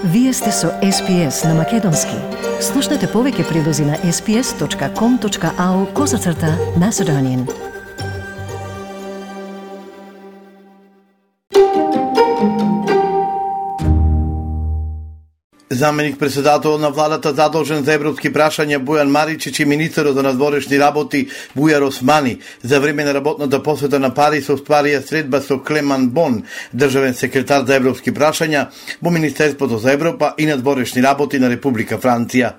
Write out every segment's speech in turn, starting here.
Вие сте со SPS на Македонски. Слушнете повеќе прилози на sps.com.au/Macedonian. Заменик председател на владата задолжен за европски прашања Бујан Маричич и министерот за надворешни работи Бујар Османи за време на работната посета на Париз остварија средба со Клеман Бон, државен секретар за европски прашања во Министерството за Европа и надворешни работи на Република Франција.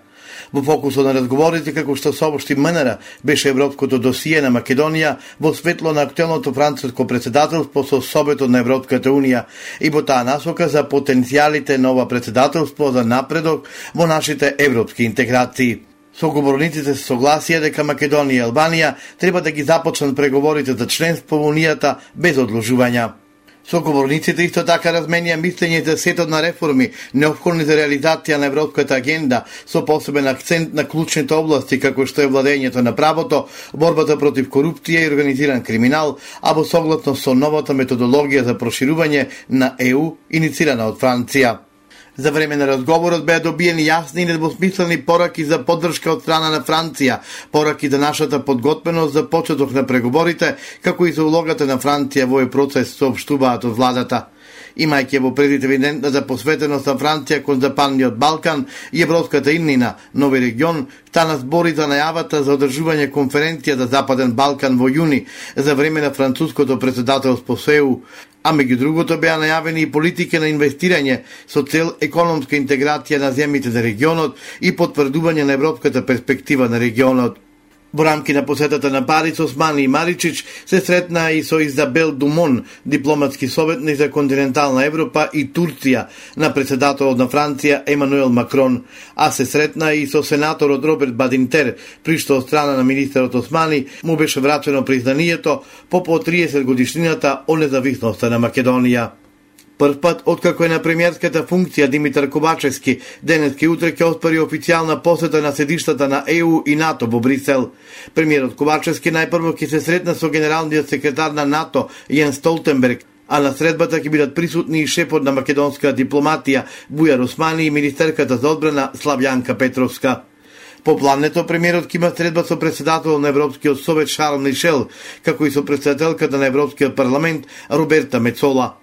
Во фокусот на разговорите, како што соопшти МНР, беше европското досие на Македонија во светло на актуелното француско председателство со Советот на Европската Унија и во таа насока за потенцијалите на ова председателство за напредок во нашите европски интеграции. Соговорниците се согласија дека Македонија и Албанија треба да ги започнат преговорите за членство во Унијата без одложувања. Соговорниците исто така разменија мислење за сетот на реформи неопходни за реализација на европската агенда со посебен акцент на клучните области како што е владењето на правото, борбата против корупција и организиран криминал, а во согласно со новата методологија за проширување на ЕУ иницирана од Франција. За време на разговорот беа добиени јасни и недвосмислени пораки за поддршка од страна на Франција, пораки за нашата подготвеност за почеток на преговорите, како и за улогата на Франција во овој процес, соопштуваат од владата. Имајќи во предвид евидентната посветеност на Франција кон Западниот Балкан и европската иднина, нови регион, стана збори за најавата за одржување конференција за Западен Балкан во јуни за време на француското председателство со ЕУ, а меѓу другото беа најавени и политики на инвестирање со цел економска интеграција на земјите за регионот и потврдување на европската перспектива на регионот. Во рамки на посетата на Париз, Османи и Маричич се сретнаа и со Изабел Думон, дипломатски советник за континентална Европа и Турција на председателот на Франција Емануел Макрон, а се сретнаа и со сенаторот Роберт Бадинтер, при што од страна на министерот Османи му беше врачено признанието по 30 годишнината од независноста на Македонија. Прв пат, откако е на премиерската функција Димитар Ковачевски, денеска и утре ќе оспари официјална посета на седиштата на ЕУ и НАТО во Брисел. Премиерот Ковачевски најпрво ќе се сретна со генералниот секретар на НАТО Јен Столтенберг, а на средбата ќе бидат присутни и шефот на македонска дипломатија Бујар Османи и министерката за одбрана Славјанка Петровска. По плането, премиерот ќе има средба со председател на Европскиот совет Шарл Мишел, како и со председателката на Европскиот парламент Роберта Мецола.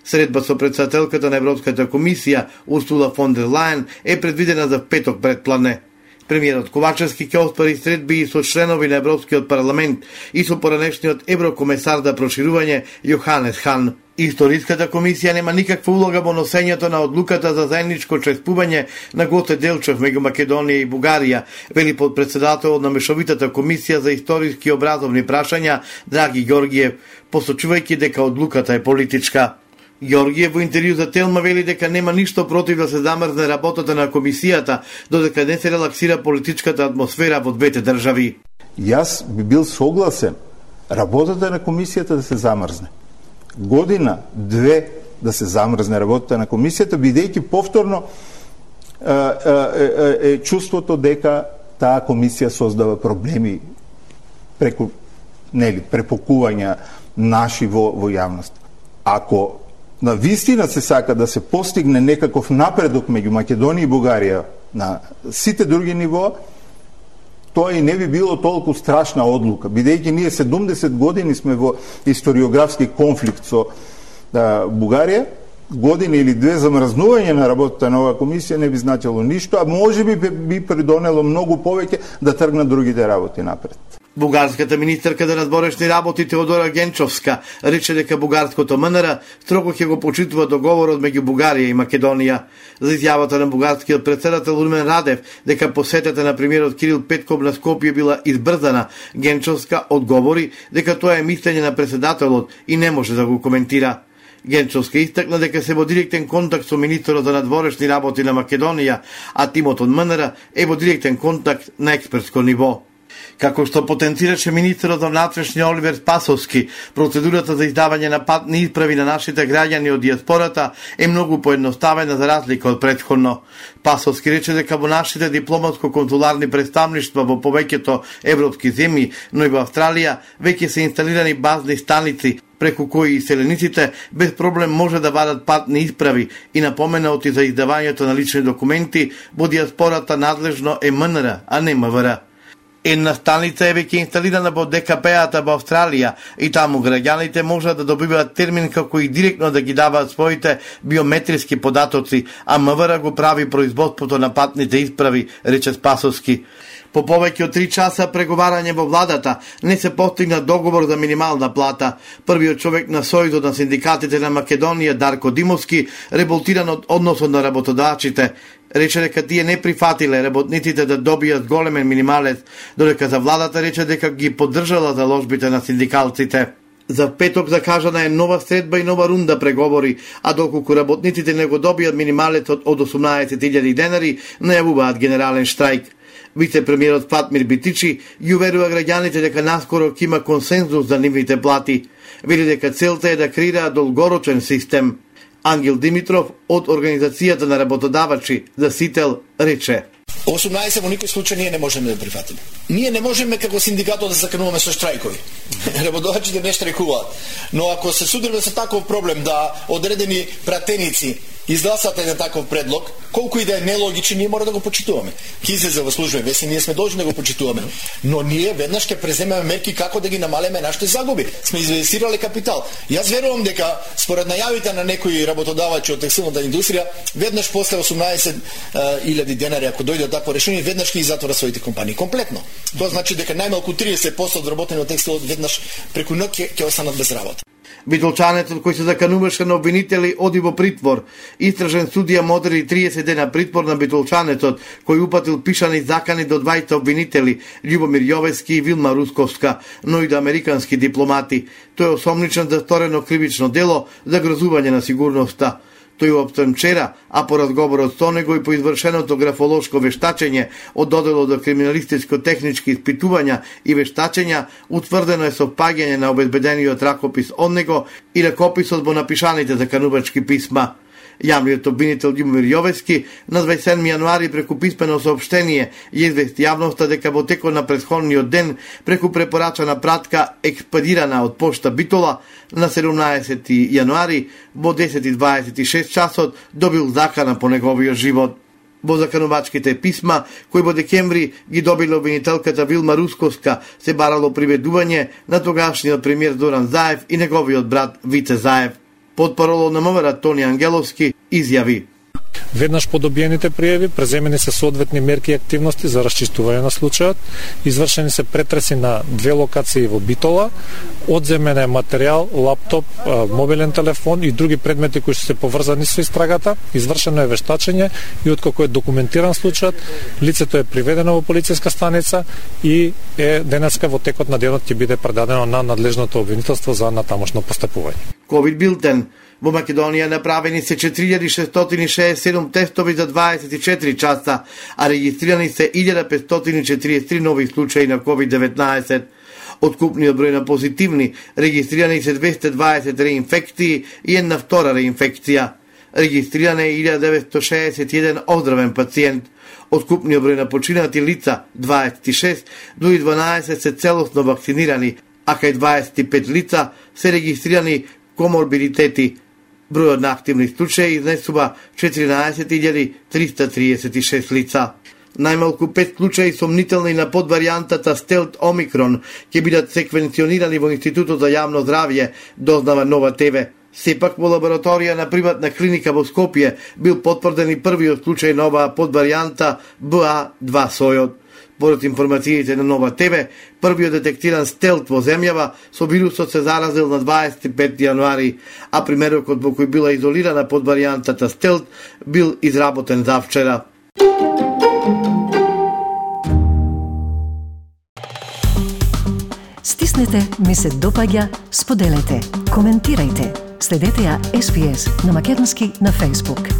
Средба со председателката на Европската комисија Урсула фон дер Лајен е предвидена за петок предпладне. Премиерот Ковачевски ќе оспари средби и со членови на Европскиот парламент и со поранешниот еврокомесар за проширување Јоханес Хан. Историската комисија нема никаква улога во носењето на одлуката за заедничко чествување на Гоце Делчев меѓу Македонија и Бугарија, вели подпредседателот на Мешовитата комисија за историски и образовни прашања Драги Ѓоргиев, посочувајќи дека одлуката е политичка. Ѓоргиев во интервју за Телма вели дека нема ништо против да се замрзне работата на комисијата, додека не се релаксира политичката атмосфера во двете држави. Јас би бил согласен работата на комисијата да се замрзне. Година, две да се замрзне работата на комисијата, бидејќи повторно чувството дека таа комисија создава проблеми преку препокувања наши во јавност. Ако на вистина се сака да се постигне некаков напредок меѓу Македонија и Бугарија на сите други нивоа, тоа и не би било толку страшна одлука, бидејќи ние 70 години сме во историографски конфликт со Бугарија, година или две замрзнување на работата на оваа комисија не би значило ништо, а можеби би придонело многу повеќе да тргнат другите работи напред. Бугарската министерка за надворешни работи Теодора Генчовска рече дека бугарското МНР строго ќе го почитува договорот меѓу Бугарија и Македонија. За изјавата на бугарскиот председател Румен Радев дека посетата на премиерот Кирил Петков на Скопје била избрзана, Генчовска одговори дека тоа е мислење на председателот и не може да го коментира. Генчовска истакна дека се во директен контакт со министерот за надворешни работи на Македонија, а тимот од МНР е во директен контакт на експертско ниво. Како што потенцираше министерот за внатрешни Оливер Спасовски, процедурата за издавање на патни исправи на нашите граѓани од диаспората е многу поедноставена за разлика од претходно. Спасовски рече дека во нашите дипломатско-консуларни представништва во повеќето европски земји, но и во Австралија, веќе се инсталирани базни станици преку кои селениците без проблем може да вадат патни исправи и напоменати за издавањето на лични документи во диаспората надлежно е МНР, а не МВР. Една станица е веќе инсталирана во ДКП-ата во Австралија и таму граѓаните можат да добиваат термин како и директно да ги даваат своите биометриски податоци, а МВР го прави производството на патните исправи, рече Спасовски. По повеќе од 3 часа преговарање во владата не се постигна договор за минимална плата. Првиот човек на Сојузот на синдикатите на Македонија, Дарко Димовски, револтиран од односот на работодавците, рече дека тие не прифатиле работниците да добијат големен минималец, додека за владата рече дека ги поддржала заложбите на синдикалците. За петок закажана е нова средба и нова рунда преговори, а доколку работниците не го добијат минималецот од 18.000 денари, најавуваат генерален штрајк. Вице-премиерот Фатмир Битичи ги уверува граѓаните дека наскоро ќе има консензус за нивните плати. Вели дека целта е да креира долгорочен систем. Ангел Димитров од Организацијата на работодавачи за Сител рече: 18 во никој случај ние не можеме да прифатиме. Ние не можеме како синдикатот да закануваме со штрајкови. Работодавачите не штрајкуваат. Но ако се судиме со таков проблем да одредени пратеници изгласат еден таков предлог, колку и да е нелогичен, ние мора да го почитуваме. Ки излезе во служба веси, ние сме должни да го почитуваме. Но ние веднаш ќе преземеме мерки како да ги намалиме нашите загуби. Сме инвестирале капитал. Јас верувам дека според најавите на некои работодавачи од текстилната индустрија, веднаш после 18.000 денари, ако дојде такво решение, веднаш ќе затвора своите компании комплетно. Тоа значи дека најмалку 30% од работени од текстилот веднаш преку ноќ ќе останат без работа. Битолчанецот кој се закануваше на обвинители оди во притвор. Истражен судија му одреди 30 дена притвор на битолчанецот кој упатил пишани закани до 20 обвинители Љубомир Јовески и Вилма Русковска, но и до американски дипломати. Тој е осомничен за сторено кривично дело за грозување на сигурноста. Тој уопштен вчера, а по разговорот со него и по извршеното графолошко вештачење од доделот до криминалистичко-технички испитувања и вештачења, утврдено е совпаѓање на обезбедениот ракопис од него и ракописот во напишаните заканувачки писма. Јавниот обвинител Љубомир Јовески на 27 јануари преку писмено соопштение ја извести јавноста дека во текот на претходниот ден преку препорачана пратка експедирана од пошта Битола на 17 јануари во 10:26 часот добил закана по неговиот живот. Во заканувачките писма, кои во декември ги добила обвинителката Вилма Русковска, се барало приведување на тогашниот премиер Зоран Заев и неговиот брат Вице Заев. Потпаролот на МВР Тони Ангеловски изјави: Веднаш по добиените пријави преземени се соодветни мерки и активности за расчистување на случајот, извршени се претреси на 2 локации во Битола, одземен е материјал, лаптоп, мобилен телефон и други предмети кои се поврзани со истрагата, извршено е вештачење и откако е документиран случајот, лицето е приведено во полициска станица и е денеска во текот на денот ќе биде предадено на надлежното обвинителство за натамошно постапување. Ковид билтен. Во Македонија направени се 4667 тестови за 24 часа, а регистрирани се 1543 нови случаи на COVID-19. Од купниот број на позитивни, регистрирани се 220 реинфекции и една втора реинфекција. Регистриран е 1961 оздравен пациент. Од купниот број на починати лица, 26, дури 12 се целосно вакцинирани, а кај 25 лица се регистрирани коморбидитети. Бројот на активни случаи изнесува 14.336 лица. Најмалку 5 случаи сомнителни на подваријантата Стелт Омикрон ќе бидат секвенционирани во Институтот за јавно здравје, дознава Нова ТВ. Сепак во лабораторија на приватна клиника во Скопје бил потврден и првиот случај на оваа подваријанта BA2 сојот. Поред информациите на Нова ТВ, првиот детектиран стелт во земјава со вирусот се заразил на 25 јануари, а примерокот во кој била изолирана подваријантата стелт бил изработен завчера. Стиснете, ми се допаѓа, споделете, коментирајте. Следете ја SPS на Македонски на Facebook.